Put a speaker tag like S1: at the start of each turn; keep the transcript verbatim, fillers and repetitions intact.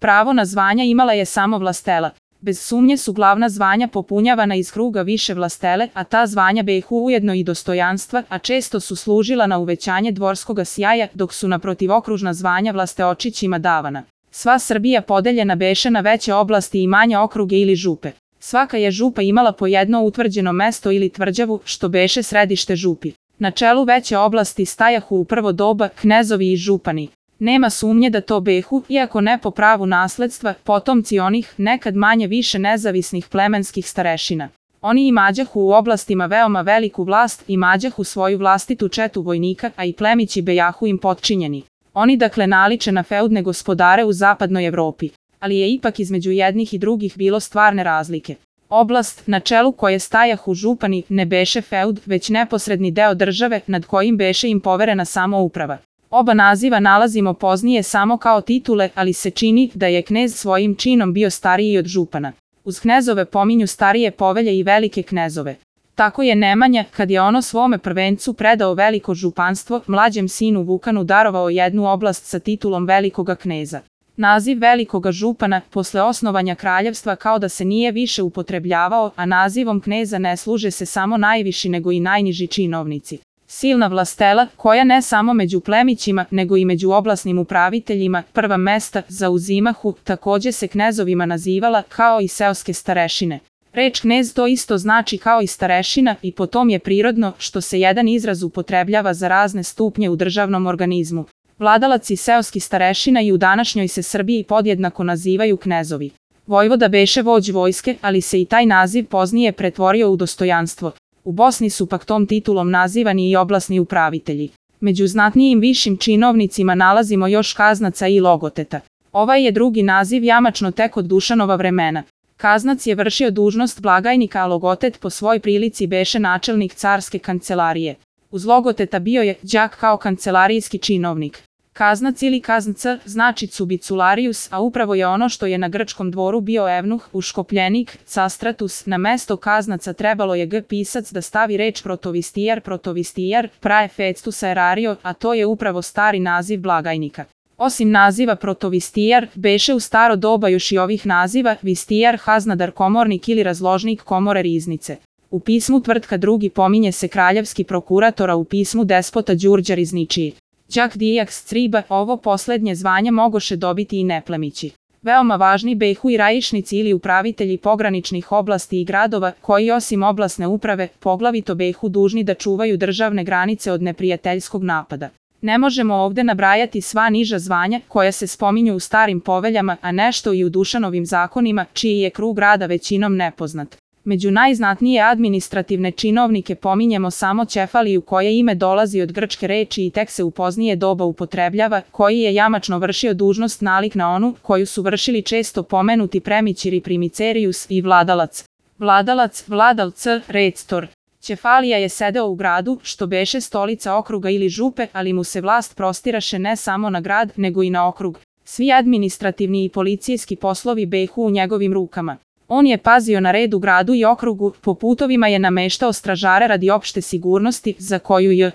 S1: Pravo na zvanja imala je samo vlastela. Bez sumnje su glavna zvanja popunjavana iz kruga više vlastele, a ta zvanja behu ujedno i dostojanstva, a često su služila na uvećanje dvorskoga sjaja, dok su naprotivokružna zvanja vlasteočićima davana. Sva Srbija podeljena beše na veće oblasti i manje okruge ili župe. Svaka je župa imala po jedno utvrđeno mesto ili tvrđavu, što beše središte župi. Na čelu veće oblasti stajahu u prvo doba knezovi i župani. Nema sumnje da to behu, iako ne po pravu nasledstva, potomci onih, nekad manje više nezavisnih plemenskih starešina. Oni imađahu u oblastima veoma veliku vlast, imađahu svoju vlastitu četu vojnika, a i plemići bejahu im potčinjeni. Oni dakle naliče na feudne gospodare u zapadnoj Evropi, ali je ipak između jednih i drugih bilo stvarne razlike. Oblast, na čelu koje stajahu župani, ne beše feud, već neposredni deo države, nad kojim beše im poverena samouprava. Oba naziva nalazimo poznije samo kao titule, ali se čini da je knez svojim činom bio stariji od župana. Uz knezove pominju starije povelje i velike knezove. Tako je Nemanja, kad je ono svome prvencu predao veliko županstvo, mlađem sinu Vukanu darovao jednu oblast sa titulom velikoga kneza. Naziv velikoga župana, posle osnovanja kraljevstva, kao da se nije više upotrebljavao, a nazivom kneza ne služe se samo najviši nego i najniži činovnici. Silna vlastela, koja ne samo među plemićima, nego i među oblasnim upraviteljima, prva mesta zauzimahu, takođe se knezovima nazivala, kao i seoske starešine. Reč knez to isto znači kao i starešina i po tom je prirodno što se jedan izraz upotrebljava za razne stupnje u državnom organizmu. Vladalac i seoski starešina i u današnjoj se Srbiji podjednako nazivaju knezovi. Vojvoda beše vođ vojske, ali se i taj naziv poznije pretvorio u dostojanstvo. U Bosni su pak tom titulom nazivani i oblasni upravitelji. Među znatnijim višim činovnicima nalazimo još kaznaca i logoteta. Ovaj je drugi naziv jamačno tek od Dušanova vremena. Kaznac je vršio dužnost blagajnika, a logotet po svoj prilici beše načelnik carske kancelarije. Uz logoteta bio je đak kao kancelarijski činovnik. Kaznac ili kaznca znači cubicularius, a upravo je ono što je na grčkom dvoru bio evnuh, uškopljenik, castratus. Na mesto kaznaca trebalo je g pisac da stavi reč protovistijar, protovistijar, praefectus aerario, a to je upravo stari naziv blagajnika. Osim naziva protovistijar, beše u staro doba još i ovih naziva vistijar, haznadar, komornik ili razložnik komore riznice. U pismu Tvrtka drugi pominje se kraljevski prokurator, a u pismu despota Đurđa Rizničiji. Đak dijaks criba, ovo poslednje zvanje mogoše dobiti i neplemići. Veoma važni behu i raišnici ili upravitelji pograničnih oblasti i gradova, koji osim oblasne uprave, poglavito behu dužni da čuvaju državne granice od neprijateljskog napada. Ne možemo ovde nabrajati sva niža zvanja koja se spominju u starim poveljama, a nešto i u Dušanovim zakonima, čiji je krug rada većinom nepoznat. Među najznatnije administrativne činovnike pominjemo samo Ćefaliju, koje ime dolazi od grčke reči i tek se u poznije doba upotrebljava, koji je jamačno vršio dužnost nalik na onu koju su vršili često pomenuti premićiri primicerius i vladalac. Vladalac, vladalc, rector. Ćefalija je sedeo u gradu, što beše stolica okruga ili župe, ali mu se vlast prostiraše ne samo na grad, nego i na okrug. Svi administrativni i policijski poslovi behu u njegovim rukama. On je pazio na red u gradu i okrugu, po putovima je nameštao stražare radi opšte sigurnosti, za koju je